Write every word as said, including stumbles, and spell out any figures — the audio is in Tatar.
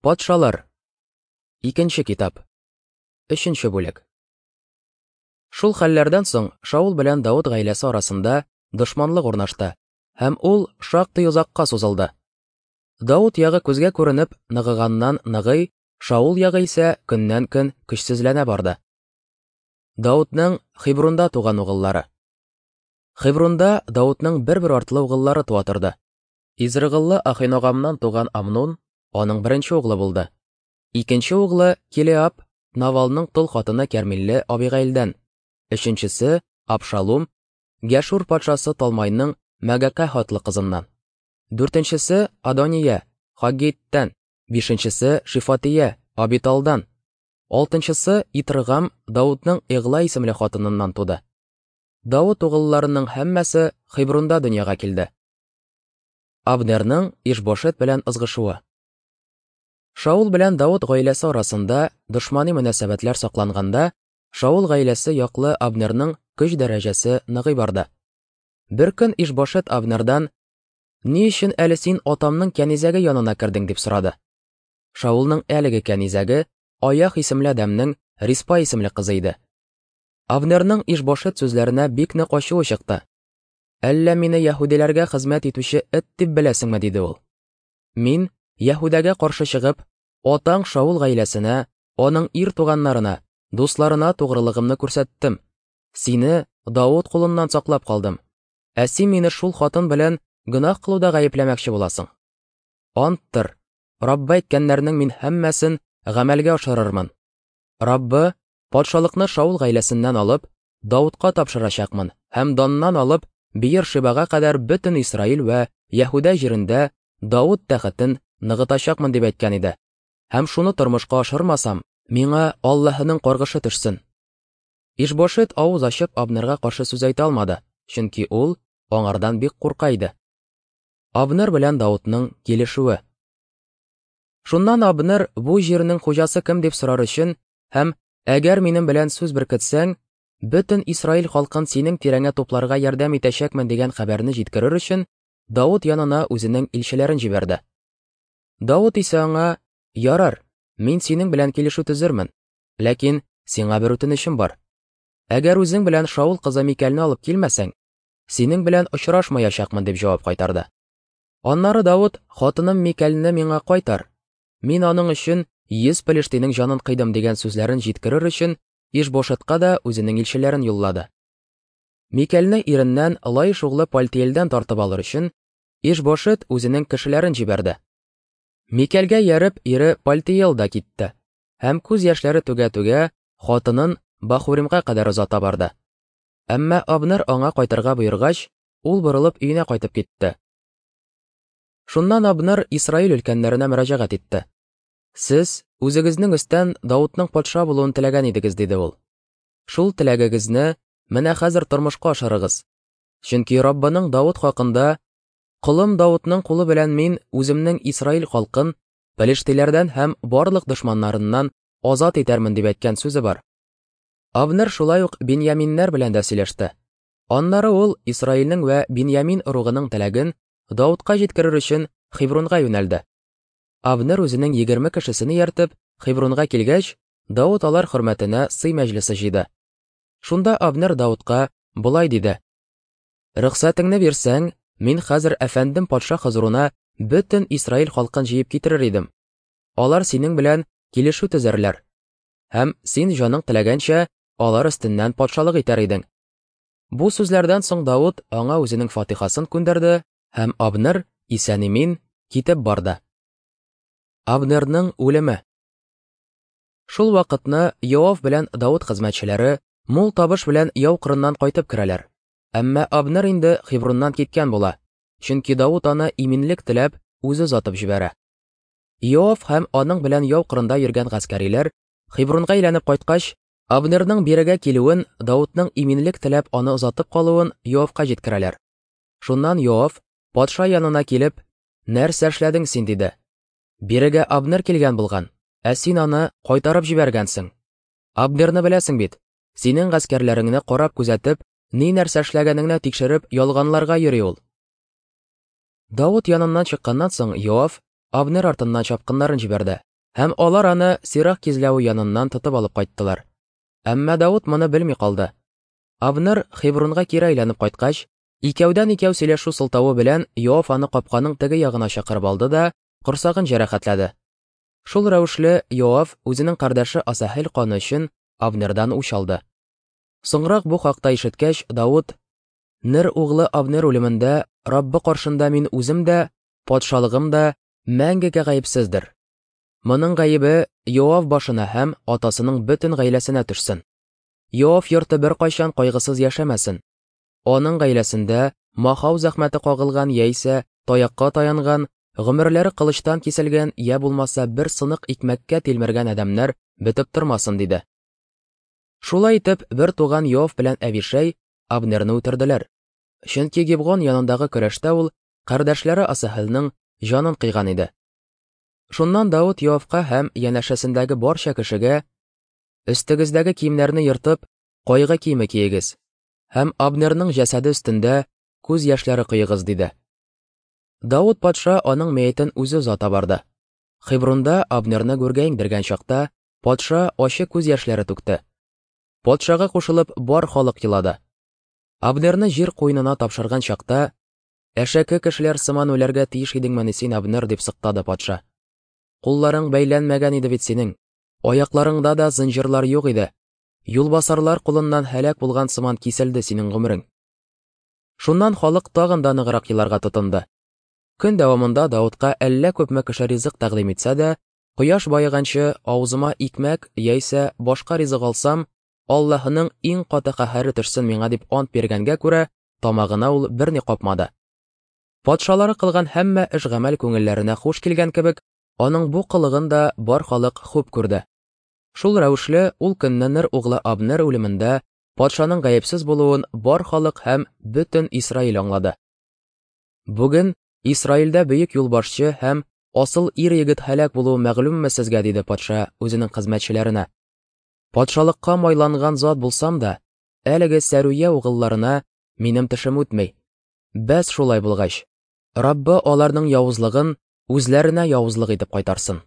Патшалар. Икенче китап. Өченче бүлек. Шул хәлләрдән соң Шаул белән Давыт гаиләсе арасында дошманлык урнашты, һәм ул шактый озакка сузылды. Давыт ягы күзгә күренеп ныгыганнан ныгый, Шаул ягы исә көннән-көн көчсезләнә барды. Давытның Хебронда туган угыллары. Хебронда Давытның бер-бер артлы угыллары туа торды. Изрыгыллы Ахиногамнан туган Амнун аның беренче углы булды. Икенче углы Килеаб, Навалның тол хатыны Кәрмилле Абигаилдән. Өченчесе Абшалум, Гәшур патшасы Талмайның Мәгәкә хатлы кызыннан. Дүртенчесе Адония, Хаггиттән. Бишенчесе Шифатия, Абиталдан. Алтынчысы Итргам, Даудның Игла исемле хатыныннан туды. Давыт угылларының һәммәсе Хебронда дөньяга килде. Абнерның Ишбошет белән ызгышуы. Шаул белән Давыт гаиләсе арасында дошмани мөнәсәбәтләр сакланганда, Шаул гаиләсе яклы Абнерның көч дәрәҗәсе ныгый барды. Бер көн Ишбошет Абнердан: "Ни өчен әле син атамның кәнизәге янына кердең?" дип сорады. Шаулның әлеге кәнизәге Аях исемле адәмнең Риспа исемле кызы иде. Абнерның Ишбошет сүзләренә бик нык ачуы чыкты. "Әллә мине яһүдиләргә хезмәт итүче эт дип беләсеңме?" диде ул. "Мин Яһүдәгә каршы чыгып, атаң Шаул гаиләсенә, аның ир туганнарына, дусларына тугрылыгымны күрсәттем. Сине Давыт кулыннан саклап калдым. Ә син мине шул хатын белән гөнаһ кылуда гаепләмәкче буласың. Анттыр, Раббы әйткәннәрнең мин һәммәсен гамәлгә ашырырмын. Раббы патшалыкны Шаул гаиләсеннән алып, Давытка тапшырачакмын һәм Даннан алып Беер-Шибага кадәр бөтен Исраил вә Яһүдә җирендә Давыт тәхетен ныгытачакмын дип әйткән иде. Һәм шуны тормышка ашырмасам, миңа Аллаһының каргышы төшсен." Ишбошет авыз ачып Абнерга каршы сүз әйтә алмады, чөнки ул аңардан бик курка иде. Абнер белән Давытның килешүе. Шуннан Абнер бу җирнең хуҗасы кем дип сорар өчен һәм әгәр минем белән сүз беркетсәң, бөтен Исраил халкын синең тирәңә тупларга ярдәм итәчәкмен дигән хәбәрне җиткерер өчен Давыт янына үзенең илчеләрен җибәрде. Давыт исә аңа: "Ярар, мин синең белән килешү төзермен, ләкин сиңа бер үтенечем бар. Әгәр үзең белән Шаул кызы Микәлне алып килмәсәң, синең белән очрашмаячакмын", дип җавап кайтарды. Аннары Давыт: "Хатыным Микәлне миңа кайтар. Мин аның өчен йөз пелештинең җанын кыйдым" дигән сүзләрен җиткерер өчен Ишбошетка да үзенең илчеләрен юллады. Микәлне иреннән Лаиш углы Пальтиэлдән тартып алыр өчен Ишбошет үзенең кешеләрен җибәрде. Микәлгә ярып ире Пальтиэл да китте һәм күз яшьләре түгә-түгә хатынын Бахуримга кадәр озата барды. Әмма Абнер аңа кайтырга боергач, ул борылып өенә кайтып китте. Шуннан Абнер Исраил өлкәннәренә мөрәҗәгать итте. "Сез үзегезнең өстән Давытның патша булуын теләгән идегез", диде ул. "Шул теләгегезне менә хәзер тормышка ашырыгыз. Чөнки Раббының Давыт хакында: "Колым Давытның кулы белән мин үземнең Исраил халкын пелештиләрдән һәм барлык дошманнарыннан азат итәрмен" дип әйткән сүзе бар. Абнер шулай ук Беньяминнәр белән дә сөйләште. Аннары ул Исраилнең вә Беньямин ыругының теләген Давытка җиткерер өчен Хебронга юнәлде. Абнер үзенең егерме кешесен ияртеп Хебронга килгәч, Давыт алар хөрмәтенә сый мәҗлесе җыйды. Шунда Абнер Давытка болай диде: "Рөхсәтеңне бирсәң, мин хәзер әфәндем патша хозурына бөтен Исраил халкын җыеп китерер идем. Алар синең белән килешү төзәрләр, һәм син җаның теләгәнчә алар өстеннән патшалык итәр идең." Бу сүзләрдән соң Давыт аңа үзенең фатихасын күндерде, һәм Абнер исән-имин китеп барды. Абнерның үлеме. Шул вакытны Йоав белән Давыт хезмәтчеләре мул табыш белән яу кырыннан кайтып керәләр. Әмма Абнер инде Хеброннан киткән була, чөнки Давыт аны иминлек теләп үзе озатып җибәрә. Йоав һәм аның белән яу кырында йөргән гаскәриләр Хебронга әйләнеп кайткач, Абнерның бирегә килүен, Давытның иминлек теләп аны озатып калуын Йоавка җиткерәләр. Шуннан Йоав патша янына килеп: "Нәрсә эшләдең син?" диде. "Бирегә Абнер килгән булган, ә син аны кайтарып җибәргәнсең. Абнерны беләсең бит, синең гаскәрләреңне карап күзәтеп, ни нәрсә эшләгәнеңне тикшереп ялганларга йөри ул." Давыт яныннан чыкканнан соң Йоав Абнер артыннан чапкыннарын җибәрде. Һәм алар аны Сирах кизләве яныннан тотып алып кайттылар. Әмма Давыт моны белми калды. Абнер Хевронга кире әйләнеп кайткач, икәүдән-икәү сөйләшү сылтавы белән Йоав аны капканың теге ягына чакырып алды да корсагын җәрәхәтләде. Шул рәвешле Йоав үзенең кардәше Асаһел каны өчен Абнердан үч алды. Соңрак бу хакта ишеткәч, Давыт: "Нер углы Абнер үлемендә Раббы каршында мин үзем дә, патшалыгым да мәңгегә гаепсездер. Моның гаебе Йоав башына һәм атасының бөтен гаиләсенә төшсен. Йоав йорты беркайчан кайгысыз яшәмәсен. Аның гаиләсендә махау зәхмәте кагылган яисә таякка таянган, гомерләре кылычтан киселгән я булмаса бер сынык икмәккә тилмергән адәмнәр бетеп тормасын", диде. Шулай итеп, бер туган Йоав белән Әбишәй Абнерны үтерделәр. Чөнки Гибгон янындагы көрәштә ул кардәшләре Асаһелнең җанын кыйган иде. Шуннан Давыт Йоавка һәм янәшәсендәге барча кешегә: "Өстегездәге киемнәрне ертып, кайгы киеме киегез һәм Абнерның җәсәде өстендә күз яшьләре коегыз", диде. Давыт патша аның мәетен үзе озата барды. Хевронда Абнерны гүргә иңдергән чакта патша ачы күз яшьләре түкте. Патшага кушылып бар халык елады. Абнерны җир куенына тапшырган чакта: "Әшәке кешеләр сыман үләргә тиеш идеңмени син, Абнер?" дип сыктады патша. "Кулларың бәйләнмәгән иде бит синең, аякларыңда да зынҗырлар юк иде. Юлбасарлар кулыннан һәлак булган сыман киселде синең гомерең". Шуннан халык тагын да ныграк еларга тотынды. Көн дәвамында Давытка әллә күпме кеше ризык тәкъдим итсә дә, кояш баеганчы авызыма икмәк яисә башка ризык алсам, Аллаһының иң каты каһәре төшсен миңа дип ант биргәнгә күрә, тамагына ул берни капмады. Патшалары кылган һәммә эш-гамәл күңелләренә хуш килгән кебек, аның бу кылыгын да бар халык хуп күрде. Шул рәвешле ул көнне Нер углы Абнер үлемендә патшаның гаепсез булуын бар халык һәм бөтен Исраил аңлады. "Бүген Исраилдә бөек юлбашчы һәм асыл ир-егет һәлак булуы мәгълүмме сезгә?" диде патша үзенең хезмәтчеләренә. "Патшалыкка майланган зат булсам да, әлеге Сәрүя угылларына минем тешем үтми. Бәс шулай булгач, Раббы аларның явызлыгын үзләренә явызлык итеп кайтарсын".